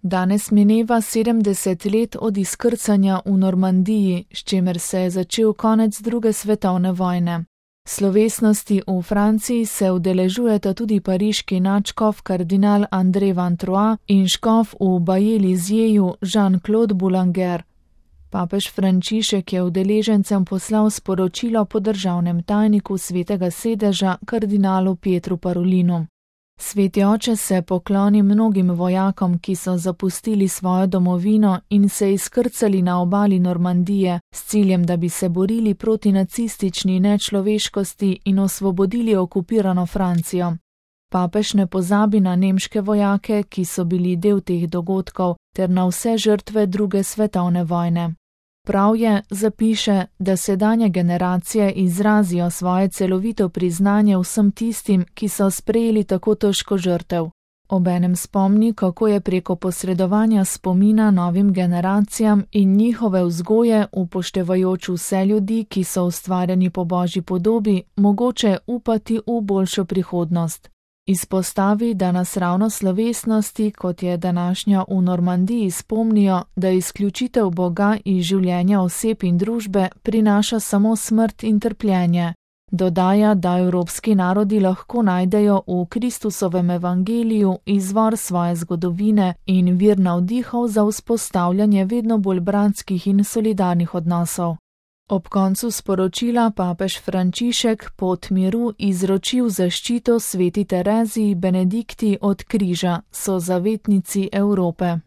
Danes mineva 70 let od izkrcanja v Normandiji, s čimer se je začel konec druge svetovne vojne. Slovesnosti v Franciji se udeležujeta tudi pariški nadškof kardinal André Van Troyes in škof v Baje-Lizjeju Jean-Claude Boulanger. Papež Frančišek je udeležencem poslal sporočilo po državnem tajniku Svetega sedeža kardinalu Pietru Parolinu. Sveti oče se pokloni mnogim vojakom, ki so zapustili svojo domovino in se izkrcali na obali Normandije s ciljem, da bi se borili proti nacistični nečloveškosti in osvobodili okupirano Francijo. Papež ne pozabi na nemške vojake, ki so bili del teh dogodkov, ter na vse žrtve druge svetovne vojne. Prav je, zapiše, da sedanje generacije izrazijo svoje celovito priznanje vsem tistim, ki so sprejeli tako težko žrtev. Obenem spomni, kako je preko posredovanja spomina novim generacijam in njihove vzgoje, upoštevajoč vse ljudi, ki so ustvarjeni po Božji podobi, mogoče upati v boljšo prihodnost. Izpostavi, da nas ravno slovesnosti, kot je današnja v Normandiji, spomnijo, da izključitev Boga iz življenja oseb in družbe prinaša samo smrt in trpljenje. Dodaja, da evropski narodi lahko najdejo v Kristusovem evangeliju izvor svoje zgodovine in vir navdihov za vzpostavljanje vedno bolj bratskih in solidarnih odnosov. Ob koncu sporočila papež Frančišek pot miru izročil zaščito sveti Tereziji Benedikti od križa, so zavetnici Evrope.